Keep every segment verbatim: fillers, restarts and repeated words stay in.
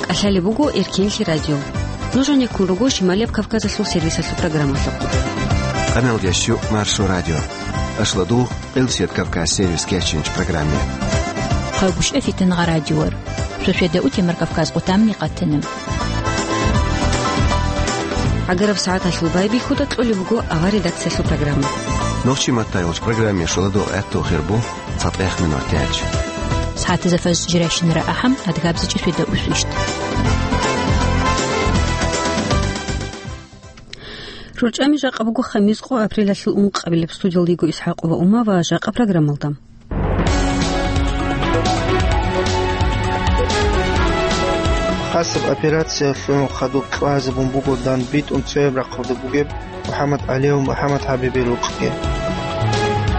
КӀалъалеб буго Эркенлъи радио. Нуж гьанеккун руго Шималияб Кавказалъул сервисалъул программалъухъ. Къаналдящу Маршо радио. Ашладу Къилсият Кавказ сервис кечинч программе. Хъалгушев Фитнагъа радиор. Суседа утемар Кавказ къутамни къатана. ГӀагараб сагӀаталъул байбихьуда кьолеб буго авар редакциялъул программа. Нохчи маттайолч программе шуладо гӀатту хирбу цатӀех минутач. СагӀатазда фаз жиращинара ахӀам, адгабзичӀи суседа усвищт. РорчӀами жакъа буго хамис къо апрелалъул ункъабилеб. Студиялдего ИсхӀакъова Ума ва жакъа программалда. Хасаб операциялъул хадуб кьвазабун буго дандбитӀун цояб рахъалда бугеб МухӀаммад ГӀалиев МухӀаммад ХӀабибил рукъги.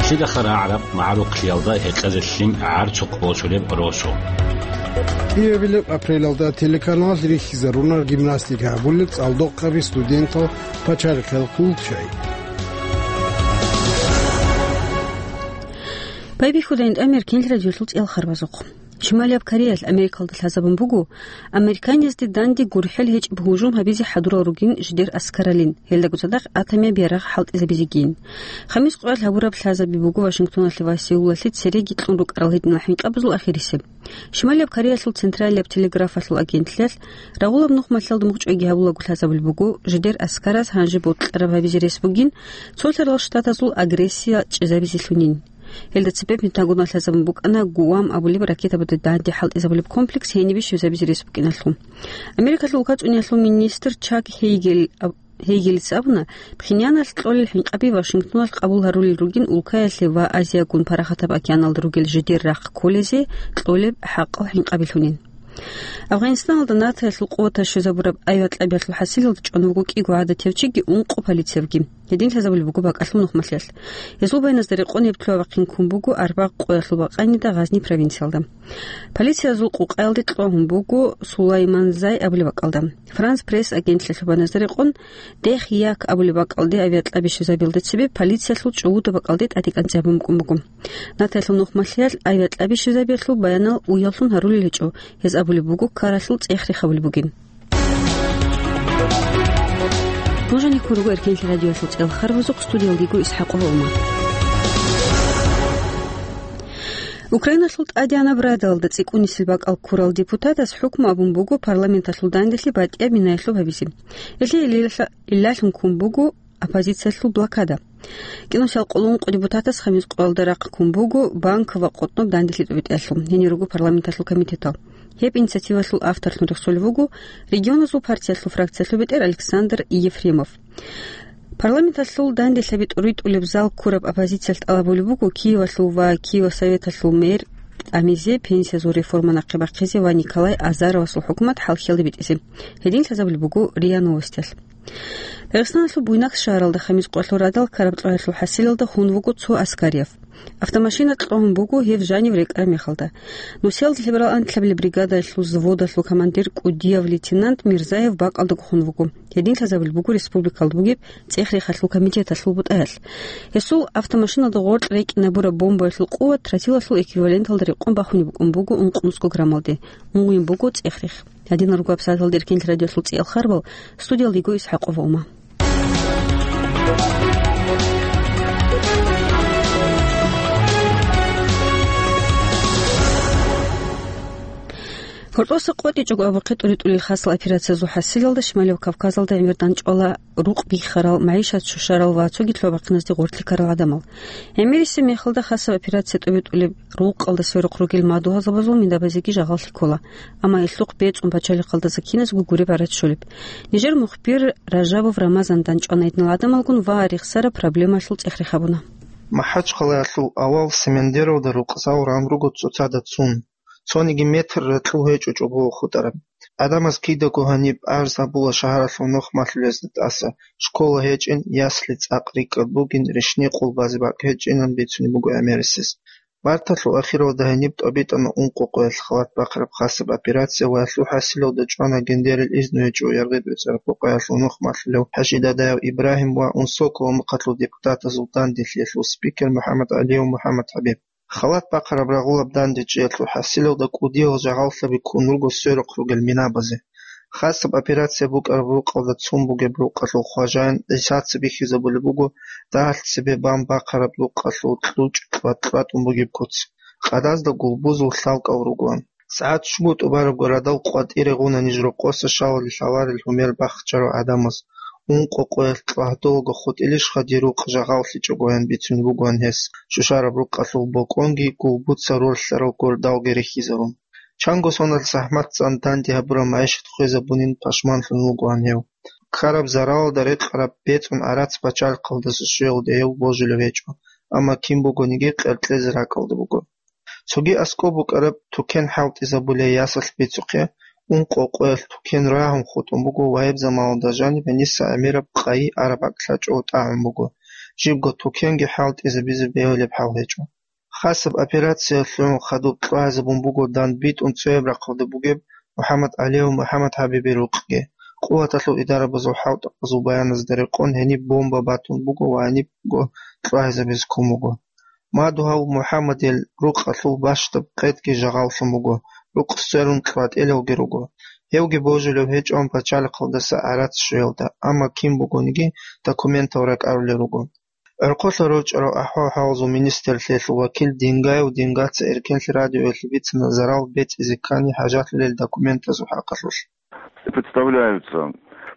Лъидаха рагӀараб магӀарухълъиялда гьекъезе лъим гӀарцухъ босулеб росу. Киевилеб апрелалда телеканалалъ рихьизаруна гимнастика гьабулел цӀалдохъаби студентал пачалихъел хъулчай. Байбихьудайин тӀамер кинл радиолъул цӀел харбазухъ. Шималияб Кореялъ Америкалда лъазабун буго, американизде данде гурхӀел гьечӀеб гьужум гьабизе хӀадурал ругин жидер аскаралин, гьелдаго цадахъ атомияб ярагъ хӀалтӀизабизегийин. Хамис къоялъ гьабураб лъазаби буго Вашингтоналъе ва Сеулалъе цереги кьун рукӀарал гьединал хӀинкъабазул ахирисеб. Шималияб Кореялъул Централияб телеграфалъул агентлъиялъ рагъулаб нухмалъалда мухӀчӀвайги гьабулаго лъазабулеб буго, жидер аскараз гьанже бокьараб гьабизе рес бугин, цолъарал штатазул агрессия чӀезабизелъунин. Гьелда цебе Пентагоналъ лъазабун букӀана Гуам абулеб ракетабазда данде хӀалтӀизабулеб комплекс гьенибе щвезабизе рес букӀиналъул. Америкалъул улкацӀуниялъул министр Чак Хейгел аб-, Хейгелица абуна, Пхеньяналъ кьолел хӀинкъаби Вашингтоналъ къабул гьарулел ругин улкаялъе ва Азиягун Парахатаб океаналда ругел жидер рахъ кколезе кьолеб хӀакъал хӀинкъабилъунин. Афганистаналда НАТОялъул къуватаз щвезабураб авиакьабиялъул хӀасилалда чӀван вуго кӀиго гӀадатив чиги ункъо полициявги. Гьедин лъазабулеб буго бакӀалъул нухмалъиялъ. Гьезул байназдерикъун гьеб лъугьа-вахъин ккун буго арбагъ къоялъул бакъанида Гъазни провинциялда. Полициязул къукъаялде кьвагьун буго Сулайманзай абулеб бакӀалда. Франс Пресс агентлъиялъул байназдерикъун Дехь-Як абулеб бакӀалде авиакьаби щвезабиялда цебе полициялъул чӀугӀуда бакӀалде тӀадекӀанцӀи гьабун букӀун буго. НАТОялъул нухмалъиялъ авиакьаби щвезабиялъул баянал уяллъун гьарулел гьечӀо, гьез абулеб буго каралъул цӀех рехабулеб бугин. Нуж гьанеккун руго Эркенлъи радиоялъул цӀел харбазухъ, студиялдего ИсхӀакъова Ума. Украиналъул ТӀадегӀанаб Радалда цӀикӀкӀунисел бакӀал ккурал депутатас хӀукму абун буго парламенталъул данделъи батӀияб минаялъуб гьабизе. Гьелъие илалъа-, илалъун ккун буго оппозициялъул блокада. КӀинусиялкъулункъо депутатас хамис къоялда рахъ ккун буго банк ва къотӀноб данделъи тӀубитӀиялъул, гьенир руго парламенталъул комитетал. Гьеб инициативалъул авторлъун рехсолев вуго регионазул партиялъул фракциялъул бетӀер Александр Ефремов. Парламенталъул данделъаби тӀуритӀулеб зал ккураб оппозициялъ тӀалабулеб буго Киевалъул ва Киев Советалъул мэр тӀамизе, пенсиязул реформа нахъе бахъизе ва Николай Азаровасул хӀукумат хӀалхьиялде битӀизе. Гьедин лъазабулеб буго РИА Новостиялъ. Дагъистаналъул Буйнакск шагьаралда хамис къоялъул радал ккараб кьвагьалъул хӀасилалда хун вуго цо аскарияб. Автомашина кьогьун буго гьев жанив рекӀараб мехалда. Нусиялда лъеберал анлъабилеб бригадалъул взводалъул командир кӀудияв лейтенант Мирзаев бакӀалдаго хун вуго. Гьедин лъазабулеб буго республикалда бугеб цӀех-рехалъул комитеталъул бутӀаялъ. Гьесул автомашиналда гъоркь рекӀинабураб бомбаялъул къуват тротилалъул эквиваленталда рекъон бахунеб букӀун буго ункънусго граммалде, унгъвин буго цӀех-рех. Гьадинал руго абсараталда Эркенлъи радиоялъул цӀиял харбал, студиялдего ИсхӀакъова Ума. Гьоркьоса къотӀичӀого абухъе тӀуритӀулел хасал операциязул хӀасилалда Шималев Кавказалда гӀемер дандчӀвала рукъ биххарал, магӀишат щущарал ва цоги лъугьа-бахъиназде гъорлъи ккарал гӀадамал. ГӀемерисеб мехалда хасаб операция тӀубитӀулеб рукъалда сверухъ ругел мадугьалзабазул минабазеги жагъаллъи ккола, амма гьелъухъ бецӀун пачалихъалдаса киназго гуреб гӀарац щолеб. Нижер мухбир Ражабов Рамазан дандчӀвана гьединал гӀадамалгун ва рехсараб проблемаялъул цӀех-рех гьабуна. МахӀачхъалаялъул авал Семендеровда рукъзал ран руго цоцазда цун. Цониги метр ракьул гьечӀо чӀобого хутӀараб. ГӀадамаз кидаго гьаниб арз гьабула шагьаралъул нухмалъулезда тӀаса, школа гьечӀин, ясли цӀакъ рикӀкӀад бугин, рещтӀинаб къулбазе бакӀ гьечӀинан бицунеб буго гӀемерисез. Марталъул ахиралда гьениб тӀобитӀана ункъо къоялъ халат бахъараб хасаб операция ва гьелъул хӀасилалда чӀвана гендерил изну гьечӀо Яргъи БецӀераб къоялъул нухмалъулев ХӀажидадаяв Ибрагьим ва Унсокова мухъалъул депутатазул данделъиялъул спикер МухӀаммад ГӀалиев МухӀаммад ХӀабиб. Халат бахъараб рагъулаб данде чӀиялъул хӀасилалда кӀудиял жагъаллъаби ккун руго сверухъ ругел минабазе. Хасаб операция букӀараб рукъалда цун бугеб рукъалъул хважаин ГӀисаца бихьизабулеб буго дагьалъ цебе бан бахъараб рукъалъул кьучӀ кьват-кьватӀун бугеб куц. Къадазда гулбузул лъалкӀал ругоан. СагӀат щуго тӀубарабго радал къватӀире гъуна ниж рокъоса шалали лъаларел гьумер бахчарав гӀадамаз. Ункъо къоялъ кьвагьдулаго хутӀилищха дир рукъ жагъаллъичӀогоян бицунеб бугоан гьес, щущараб рукъалъул бокӀонги гулбуца ролъарал гордалги рихьизарун. Чанго соналъ захӀматцан данде гьабураб магӀишат хвезабунин пашманлъун вугоан гьев. Ккараб заралалда рекъараб бецӀун гӀарац пачалихъалдаса щвеялде гьев божулев гьечӀо, амма кин бугониги къеркьезе ракӀалда буго. Цоги аскӀоб букӀараб тукен хӀалтӀизабулей ясалъ бицухъе, ункъо къоялъ тукен рагьун хутӀун буго ва гьеб заманалда жаниб гьениса гӀемераб къайи араб бакӀ лъачӀого тӀагӀун буго, жибго тукенги хӀалтӀизабизе бегьулеб хӀал гьечӀо. Хасаб операциялъул хадуб кьвагьизабун буго дандбитӀун цояб рахъалда бугеб МухӀаммад ГӀалиев МухӀаммад ХӀабибил рукъги. Къуваталъул идарабазул хӀалтӀухъазул баяназда рекъон гьениб бомба батун буго ва гьанибго кьвагьизабизе ккун буго. Мадугьал МухӀаммадил рукъалъул бащдаб къетӀги жагъаллъун буго, рукъ сверун кьватӀелалги руго. Гьевги божулев гьечӀо пачалихъалдаса гӀарац щвеялда, амма кин бугониги документал ракӀарулел руго. ГӀорхъолъа рорчӀарал ахӀвал-хӀалазул министрлъиялъул вакил Дингаев Дингаца Эркенлъи радиоялъе бицана зарал бецӀизе ккани хӀажалъулел документазул хӀакъалъулъ. Представляются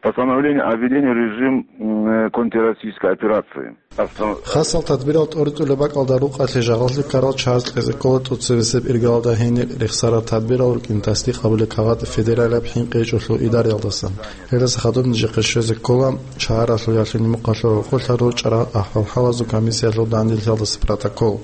постановление о введении режим, м, контртеррористической операции. Хасал тадбирал тӀоритӀулеб бакӀалда рукъалъе жагъаллъи ккарал чагӀаз кьезе ккола тӀоцебесеб иргалалда гьениб рехсараб тадбирал рукӀин тасдикъ гьабулеб кагъат федералияб хӀинкъи гьечӀолъул идараялдасан. Гьелдаса хадуб нижехъе щвезе ккола шагьаралъул ялъуни мухъалъул гӀорхъолъа рорчӀарал ахӀвал-хӀалазул комиссиялъул данделъиялдаса протокол.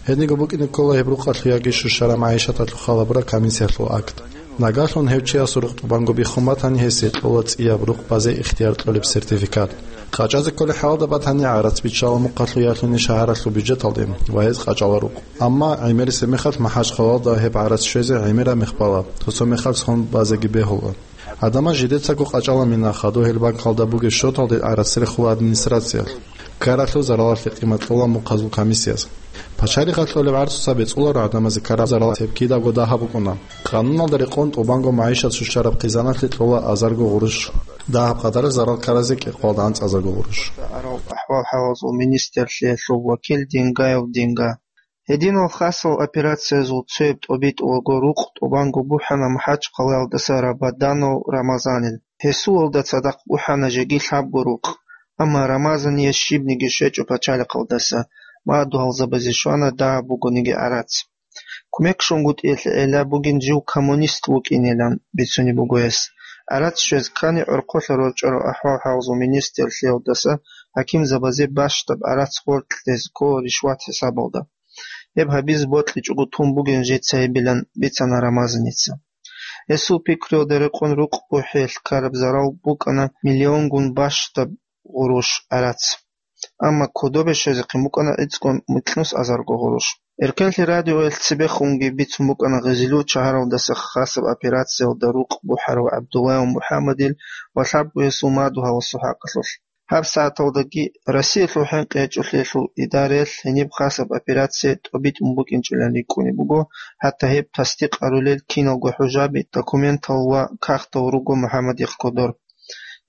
Гьединго букӀине ккола гьеб рукъалъул яги щущараб магӀишаталъул хал гьабураб комиссиялъул акт. Нагагьлъун гьев чиясул рукъ тӀубанго биххун батани, гьесие кьола цӀияб рукъ базе ихтияр кьолеб сертификат. КъачӀазе кколеб хӀалалда батани, гӀарац биччала мухъалъул ялъуни шагьаралъул бюджеталде ва гьез къачӀала рукъ. Амма гӀемерисеб мехалъ МахӀачхъалалда гьеб гӀарац щвезе гӀемераб мех бала, цо-цо мехалъ сон базеги бегьула. Гьадамаз жидецаго къачӀала мина, хадур гьел банкалда бугеб счеталде гӀарац рехула администрациялъ. Ккаралъул заралалъе къимат кьола мухъазул комиссияз. Пачалихъалъ кьолеб гӀарцуца бецӀуларо гӀадамазе ккараб зарал гьеб кидаго дагьаб букӀуна. Къануналда рекъон тӀубанго магӀишат щущараб хъизаналъе кьола азарго гъурущ. Дагьаб къадараб зарал ккаразе кьекъоялда анцӀазарго гъурущ. Арал ахӀвал-хӀалазул министрлъиялъул вакил Дингаев Динга. Гьединал хасал операциязул цояб тӀобитӀулаго рукъ тӀубанго бухӀана МахӀачхъалаялдаса Рабаданов Рамазанил. Гьесулалда цадахъ бухӀана жеги лъабго рукъ, амма Рамазание щибниги щвечӀо пачалихъалдаса, мадугьалзабазе щвана дагьаб бугониги гӀарац. Кумек щунгутӀиялъе гӀелла бугин жив коммунист вукӀинилан бицунеб буго гьес. ГӀарац щвез ккани гӀорхъолъа рорчӀарал ахӀвал-хӀалазул министрлъиялдаса хӀакимзабазе бащдаб гӀарац гъоркье ккола ришват хӀисабалда. Гьеб гьабизе бокьичӀого тун бугин жеца гьебилан бицана Рамазаница. Гьесул пикруялда рекъон рукъ бухӀиялъ ккараб зарал букӀана миллионгун бащдаб гъурущ гӀарац. Амма кодобе щвезехъин букӀана гӀицӀго микьнус азарго гъурущ. Эркенлъи радиоялъ цебехунги бицун букӀана Гъизилу шагьаралдаса хасаб операциялда рукъ бухӀарав ГӀабдуллаев МухӀаммадил ва лъабго гьесул мадугьаласул хӀакъалъулъ. Гьаб сагӀаталдаги Россиялъул хӀинкъи гьечӀолъиялъул идараялъ гьениб хасаб операция тӀобитӀун букӀинчӀилан рикӀкӀунеб буго, хӀатта гьеб тасдикъ гьарулел киналго хӀужаби, документал ва кагътал руго МухӀаммадихъ кодор.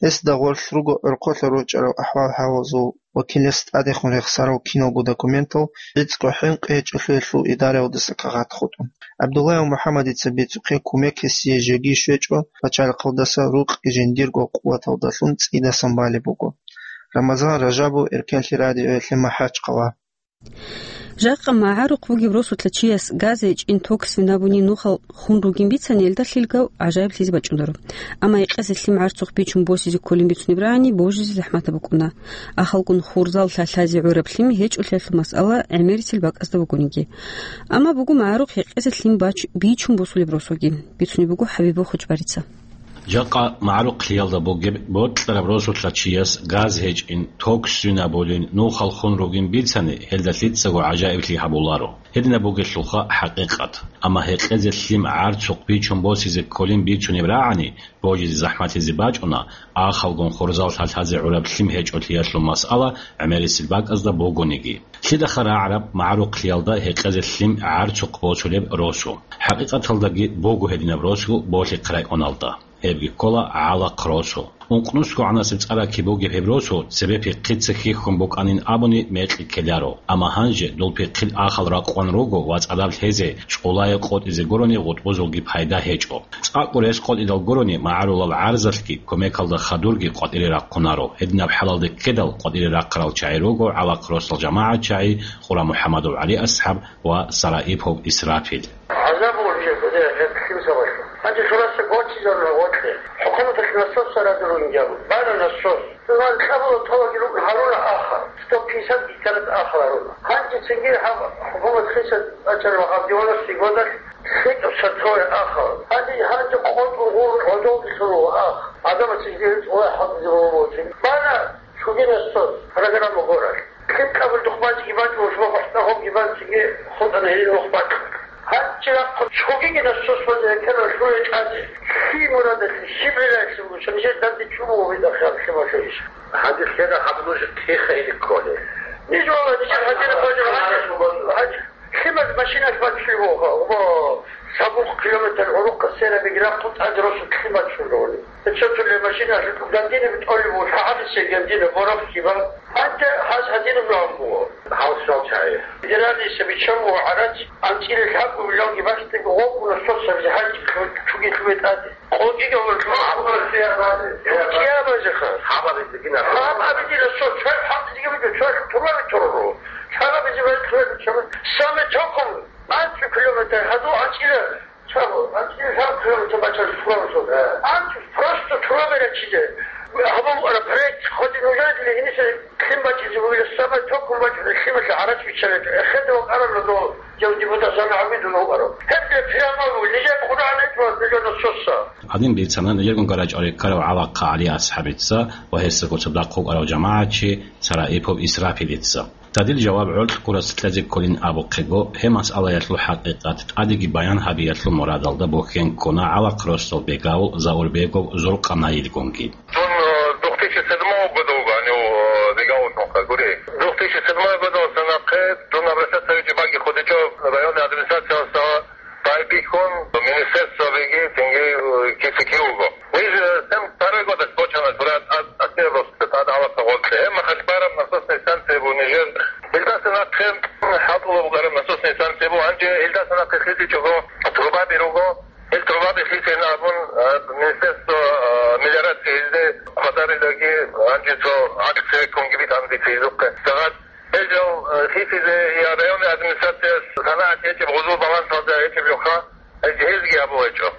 Гьесда гъорлъ руго гӀорхъолъа рорчӀарал ахӀвал-хӀалазул вакилас тӀадехун рехсарал киналго документал, гӀицӀго хӀинкъи гьечӀолъиялъул идараялдаса кагъат хутӀун. ГӀабдуллаев МухӀаммадица бицухъе кумек гьесие жеги щвечӀо, пачалихъалдаса рукъги жиндирго къуваталдалъун цӀидасан балеб буго. Рамазан Ражабов, Эркенлъи радиоялъе, МахӀачхъала. Жакъа магӀарухъ вугев росулъа чияс газе чӀин ток свинабуни нухал хун ругин бицани, элда лъилгав гӀажаиблъизе бачӀундаро. Амма гьекъезе лъим гӀарцухъ бичун босизе кколин бицунеб рагӀани, божизе захӀматаб букӀуна. Ахалгун хурзал лъалъазе гӀураб лъим гьечӀолъиялъул масъала гӀемерисел бакӀазда бугониги. Амма буго магӀарухъ гьекъезе лъим бач-, бичун босулеб росулги, бицунеб буго ХӀабибул Хучбарица. Жакъа магӀарухълъиялда бугеб бокьараб росулъа чияс газ гьечӀин, ток свинабулин, нухал хун ругин бицани, гьелда лъицаго гӀажаиблъи гьабуларо. Гьединаб бугелъулха хӀакъикъат. Амма гьекъезе лъим гӀарцухъ бичун босизе кколин бицунеб рагӀани, божизе захӀмалъизе бачӀуна, ахалгун хурзал лъалъазе гӀураб лъим гьечӀолъиялъул масъала гӀемерисел бакӀазда бугониги. Лъидаха рагӀараб магӀарухълъиялда гьекъезе лъим гӀарцухъ босулеб росу? ХӀакъикъаталдаги буго гьединаб росу Болъихъ районалда. Гьебги ккола гӀалахъ росу. Ункънусго гӀанасеб цӀаракки бугеб гьеб росу цебе пихъица хьихьун букӀанин абуни мекъи ккеларо. Амма гьанже дол пихъил ахал ракъван руго ва цӀадаб лъезе, чӀулае къотӀизе гурони гъутӀбузулги пайда гьечӀо. ЦӀакъго рес къотӀидал гурони магӀарулал гӀарзалъги кумекалда хадурги къватӀире рахъунаро. Гьединаб хӀалалде ккедал къватӀире рахъарал чагӀи руго гӀалахъ росдал жамагӀат чагӀи Къура МухӀамадов ГӀали асхӀаб ва Сараипов Исрафил. ГӀазаб буго жеги, гьеб лъим сабаблъун. Гьанже цо раса гочизаруна гъоркье. ХӀукуматалъ насос царадулунги абун. Бана насос. Цо кьабула тӀолаги рукӀун гьаруна ахал. Сто пятьдесят гектарат ахал гьаруна. Гьанже цинги гьаб хӀукумат хисад бачӀараб гьаб девяностые годалъ лъикӀаб сортовой ахал. Гьанже, гьанже къотӀун гъурун гӀодовги лъурула ах. Адамаца жиндир цӀулай хӀалтӀизе бегьуларо. Бана цоги насос, программа гурал. Лъим кьабулдухъ бачӀиги бачӀун, шуба гъоркьа гьобги бачӀиги хутӀана гьелин вахъ бачӀун. Гьанже рахъун цогиги насос базе гьекъана лъугьа тӀаде. Лъи мурадалъе, щиб гӀиллаялъе буго, нижер данде чӀун буго гьеб ахӀи лъималъул иш. Гьанже лъеда гьаб нуж тиха или кколе? Ниж вала, нижер гьадинаб бажараб гьанже. Лъимал машиналъ бачулеб буго, ва сабухъ километр гӀурухъа сверабиги рахъун тӀаде росулъ лъим бачулеб буго. Цо-цолъи машиналъ гандинаб тӀолеб буго, лъагӀалисе гандина бораб хиба. Гьанже гьаз гьадинаб жо гьабун буго. Гьав щал чагӀи. Федеральный биччан буго гӀарац, анцӀила лъабго миллионги бащдаб гъобгуна соцабизе гьанже чуги лъугьа тӀаде. Къокъиги гьабулеб. Гьаб абизеха. Гьаб абизе дила соц, цо хӀалтӀизеги буго, цо турбаби туруро. ЛъагӀализе гьанже лъугьа биччан. Самый током анцӀу километр гьадул анцӀила. Чаго, анцӀила лъабго километр бачараб сураро. АнцӀу просто турбаби рачизе. Гьабун букӀараб проект, хоть нужеде гьениса лъим бачӀизе бугила, самый током бачӀунеб лъималъе гӀарац биччана. Эхеде вукӀараб дов депутат Сана ГӀабидулла вукӀарав. Гьеб прямо буго, нижер Къуръан гьечӀо, нижер насоса. Гьадин бицана нижерго гарачӀалде ккарав гӀалахъа ГӀали асхӀабица ва гьесдаго цадахъ вукӀарав жамагӀатчи Сараипов Исрафилица. Дадил жаваб гӀоркь гурас кьезе кколин абухъего, гьеб масъалаялъул хӀакъикъат тӀадеги баян гьабиялъул мурадалда бухьен ккуна гӀалахъ росдал бегавул Заурбегов Зуркъанаилгунги. Дун, э, две тысячи седьмого года вуго гьанив, э, бегавуллъун гури. Две тысячи седьмого года ва цо нахъе дун обращаться гьабичӀеб баги хутӀичӀо районный администрациялдаса. Байбихьун министерствоялдеги цинги, э, киса-кив вуго. Ниж, э, сем второй годалъ бачана, гураб ас-, асир росда тӀад гӀалахъа гъоркье. Гьеб мехалъ бараб насосная станция буго нижер. Илдаса нахъе хӀалтӀула букӀараб насосная станция буго. Гьанже илдаса нахъе хисичӀого трубаби руго. Ил трубаби хисейин абун, э, министерство, э, мелиорации гьезде хватарилаги гьанже цо гӀакълу цевеккунги битӀана дица гьезухъе. Сагъат Гьезул, э, хисизе я районный администрацияс санагӀат гьечӀеб гъузул балансалда гьечӀеб жоха, гьез-, гьезги абулечӀо.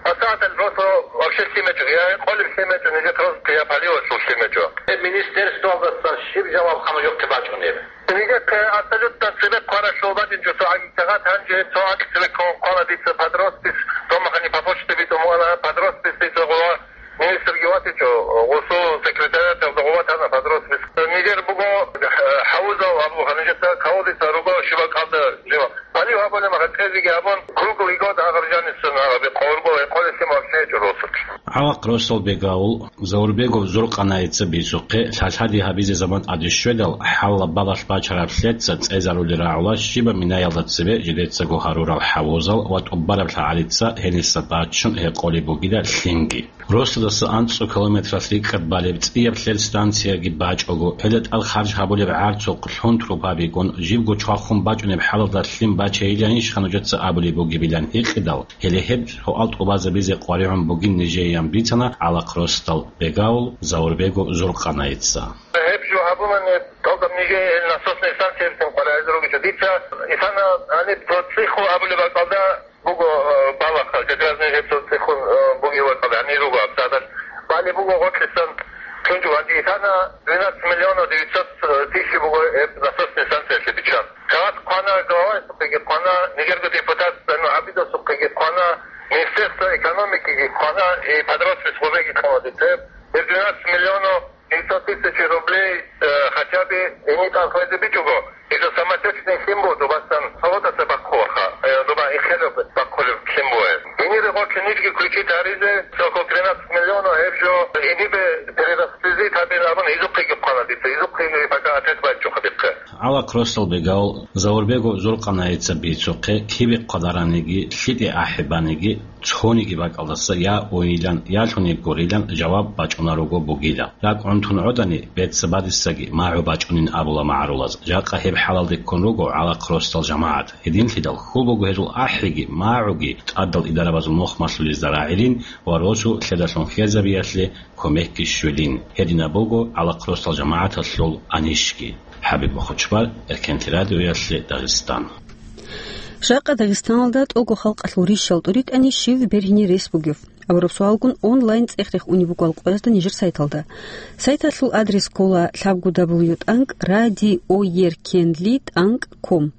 АсагӀатал росо вообще лъимечӀо, я гьекъолеб лъимечӀо, нижер просто я поливалъул лъимечӀо. Э, министерствоялдасан щиб жаваб хъана жохъе бачӀунеб? Нижехъе абсолютно цебе хъваралъул бачӀинчӀо цо гӀаги сагъат, гьанже цо гӀакълу цебе ккун хъвана дица под роспись, томахани по почте битӀун бугӀана, под роспись дица гъула. Министрги ватичӀо, гъусул секретариаталда гъуватана под роспись. Нижер буго, э, хӀавузал абуха, нижеца кавудица руго шибакалда жива. Палив гьабуна махацӀезеги гьабун, круглый год агъаржаница нагъаби къорго гьекъолесин вообще гьечӀо росулъ. ГӀалахъ росдал бегавул Заурбегов Зуркъанаица бицухъе, лъалъади гьабизе заман тӀаде щведал, хӀалла балалъ бачараб лъеца цӀезарули рагӀула щибаб минаялда цебе жидецаго гьарурал хӀавузал ва тӀубараб лъагӀалица гьениса баччун гьекъолеб бугила лъимги. Росдаса анцӀу километралъ рикӀкӀад балеб цӀияб лъел станцияги бачӀого, гьелда тӀад харж гьабулеб гӀарцухъ лъун трубабигун, жибго чвахун бачӀунеб хӀалалда лъим бачейиланищха нужеца абулеб бугебилан гьикъидал, гьеле гьеб суал тӀубазабизе къваригӀун бугин нижеян бицана гӀалахъ росдал бегавул Заурбегов Зуркъанаица. Гьеб жо гьабулани, тӀалаб нижее насосная станциябицин къваригӀизе ругичӀо. Дица исана гьаниб цо цӀихо абулеб бакӀалда буго, э, балагь, как раз нижер цо цӀихун, э, бугеб бакӀалда гьанир руго абсадан. Балеб буго гъоркьисан кьунчӀ ватӀи. Исана двенадцать миллионов девятьсот тысяч буго гьеб насосная станциялъе биччан. Кагъат хъвана главасухъеги хъвана, нижерго депутат Зайну ГӀабидовсухъеги хъвана, Министерство экономикиги квана, и подростковый гьобеги квана дица. Гьеб двенадцать миллионов девятьсот тысяч рублей, э, хотя бы гьениб тӀалхӀезе бичӀого, гьезул самотечный лъим буго, добасан салотаса бахъулаха, э, доба иххелеб бахъулеб лъим буго. Гьенир гъорлъ нижги включить гьаризе, цо около тринадцать миллионов гьеб жо гьенибе перерасходовать гьабилан абун, гьезухъеги квана дица, гьезухъеги пока ответ бачӀчӀухъа дихъе. ГӀалахъ росдал бегав Заурбегов Зуркъанаица бицухъе, кибе хъвадараниги, лъиде ахӀибаниги, цониги бакӀалдаса я ойилан, я лъуни гурилан жаваб бачӀунаруго бугила. РакӀ гӀунтун гӀодани, бецабадисаги магӀу бачӀунин абула магӀарулаз. Жакъа гьеб хӀалалде ккун руго гӀалахъ росдал жамагӀат. Гьединлъидал хьул буго гьезул ахӀиги, магӀуги тӀадал идарабазул мухъ малъулезда рагӀилин ва росу лъедалъун хьезабиялъе кумекги щвелин. Гьединаб буго гӀалахъ росдал жамагӀаталъул анищги. ХӀабиб Мухучбар, Эркенлъи радиоялъе, Дагъистан. Жакъа Дагъистаналда тӀого халкъалъул рищал тӀуритӀани щив бергьине рес бугев? Абураб суалгун онлайн цӀех-рех унеб буго Алкъоязда нижер сайталда. Сайталъул адрес ккола лъабго дабл ю тӀанкӀ радиоеркенлъи тӀанкӀ ком.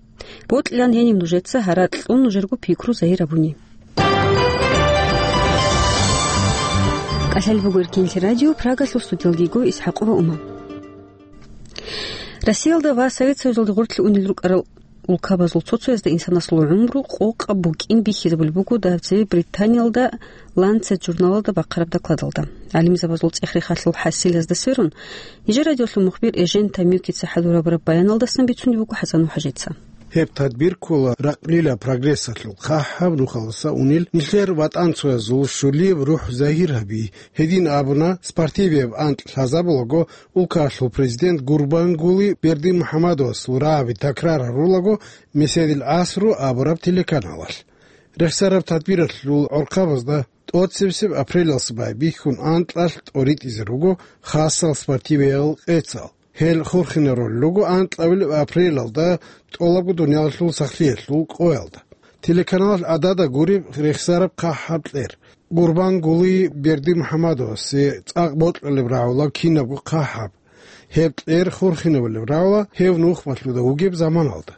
Бокьилан гьениб нужеца гьаракь кьун нужерго пикру загьир гьабуни. КӀалъалеб буго Эркенлъи радио, Прагалъул студиялги йиго ИсхӀакъова Ума. Россиялда ва Совет Союзалде гъорлъе унел рукӀарал улкабазул цо-цоязда инсанасул гӀумру къокъаб букӀин бихьизабулеб буго дагьаб цебе Британиялда Lancet журналалда бахъараб докладалда. ГӀалимзабазул цӀех-рехалъул хӀасилазда сверун, нижер радиолъул мухбир Эжен Тамюкица хӀалурабураб баяналдасан бицунеб буго ХӀасан МухӀажица. Гьеб тадбир ккола ракълила прогрессалъул хъахӀаб нухалдаса унел нилъер ватӀанцоязул щулияб рухӀ загьир гьаби. Гьедин абуна, спортивияб анкь лъазабулаго, улкалъул президент Гурбангули Бердимухьамадовасул рагӀаби такрар гьарулаго, Меседил гӀасру абураб телеканалалъ. Рехсараб тадбиралъул гӀорхъабазда тӀоцебесеб апрелалдаса байбихьун анкьалъ тӀоритӀизе руго хасал спортивиял къецал. Гьел хурхинарулел руго анкьабилеб апрелалда тӀолабго дуниялалъул сахлъиялъул къоялда. Телеканалалъ гӀадада гуреб рехсараб хъахӀаб кьер. Гурбангули Бердимухьамадовасе цӀакъ бокьулеб рагӀула кинабго хъахӀаб. Гьеб кьер хурхинабулеб рагӀула гьев нухмалъуда вугеб заманалда.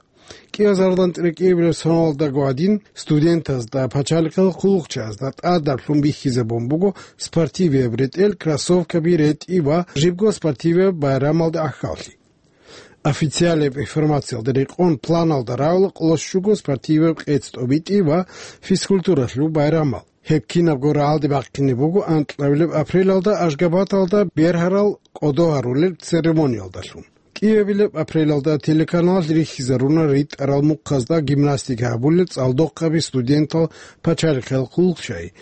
КӀиазардан цӀеркӀиябилеб соналдаго гӀадин, студентазда пачалихъал хъулухъчаразда тӀадаблъун бихьизабун буго спортивияб ретӀел, кроссовкаби ретӀи ва жибго спортивияб байрамалда гӀахьаллъи. Официалияб информациялда рекъон планалда рагӀула къоло щуго спортивияб къец тӀобитӀи ва физкультуралъул байрамал. Гьеб кинабго рагӀалде бахъине буго анкьабилеб апрелалда Ашгабаталда бергьарал кӀодо гьарулел церемониялдалъун. КӀиабилеб апрелалда телеканалалъ рихьизаруна ритӀарал мухъазда гимнастика гьабулел цӀалдохъаби студентал пачалихъал хъулухъчаби.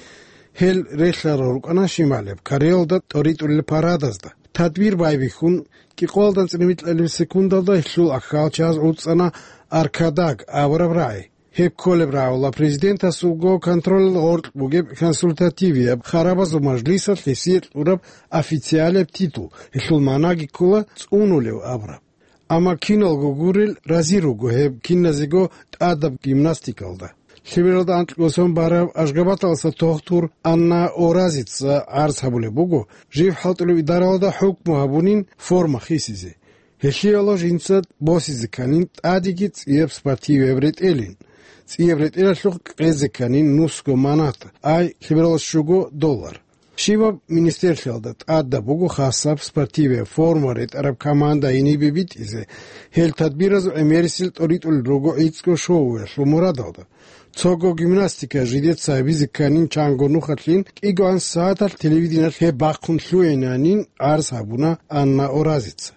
Гьел релълъарал рукӀана Шималияб Кореялда тӀоритӀулел парадазда. Тадбир байбихьун, кӀикъоялда анцӀила микьабилеб секундалда гьелъул ахьалчагӀаз гӀуцӀана аркадаг абураб рагӀи. Гьеб кколеб рагӀула президентасулго контролалда гъоркь бугеб консультативияб харабазул мажлисалъ гьесие кьураб официалияб титул, гьелъул магӀнаги ккола цӀунулев абураб. Амма киналго гурел рази руго гьеб киназего тӀадаб гимнастикалда. Лъебералда анкьго сон бараб Ашгабаталдаса тохтур Анна Оразица гӀарз гьабулеб буго, жив хӀалтӀулев идаралда хӀукму гьабунин форма хисизе. Гьелъие жинца босизе кканин тӀадеги цӀияб спортивияб ретӀелин. ЦӀияб ретӀелалъухъ къезе кканин нусго манат, ай лъебералда щуго доллар. Щибаб министерлъиялда тӀадаб буго хасаб спортивияб форма ретӀараб команда гьенибе битӀизе. Гьел тадбиразул гӀемерисел тӀоритӀулел руго гӀицӀго шоуялъул мурадалда. Цого гимнастика жидеца гьабизе кканин чанго нухалъин, кӀигоан сагӀаталъ телевидениялъ гьеб бахъун лъугӀинанин гӀарз гьабуна Анна Оразица.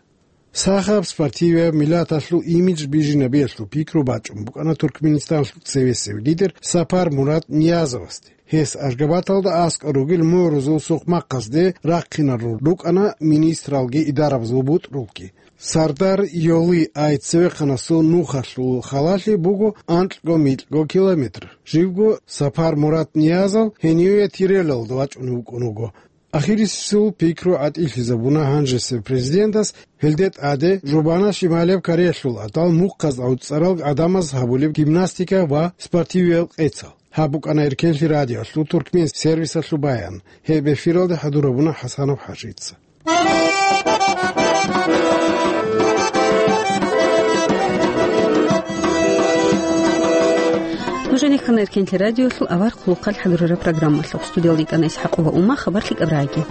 Сахаб спортивияб миллаталъул имидж бижинабиялъул пикру бачӀун букӀана Туркменистаналъул цевесев лидер Сапар Мурат Ниязовасде. Гьес Ашгабаталда аскӀор ругел мугӀрузул сукъмахъазде рахъинарун рукӀана министралги идарабазул бутӀрулги. Сардар Йоли ай цевехъанасул нухалъул халалъи буго анкьго-микьго километр. Живго Сапар Мурат Ниязов гьениве Тирелалда вачӀунев вукӀун вуго. Ахирисеб пикру гӀатӀилъизабуна гьанжесеб президентас, гьелде тӀаде Жубана Шималияб Кореялъул гӀадал мухъаз гӀуцӀарал гӀадамаз гьабулеб гимнастика ва спортивияб къецал. Гьаб букӀана Эркенлъи радиоялъул туркмен сервисалъул баян. Гьеб эфиралда хӀадурабуна ХӀасанов ХӀажица. Нехана Эркенлъи радиолъул авар хъулухъалъ хӀадурараб программалъухъ студиялда йикӀана ИсхӀакъова Ума, хабар лъикӀаб рагӀаги.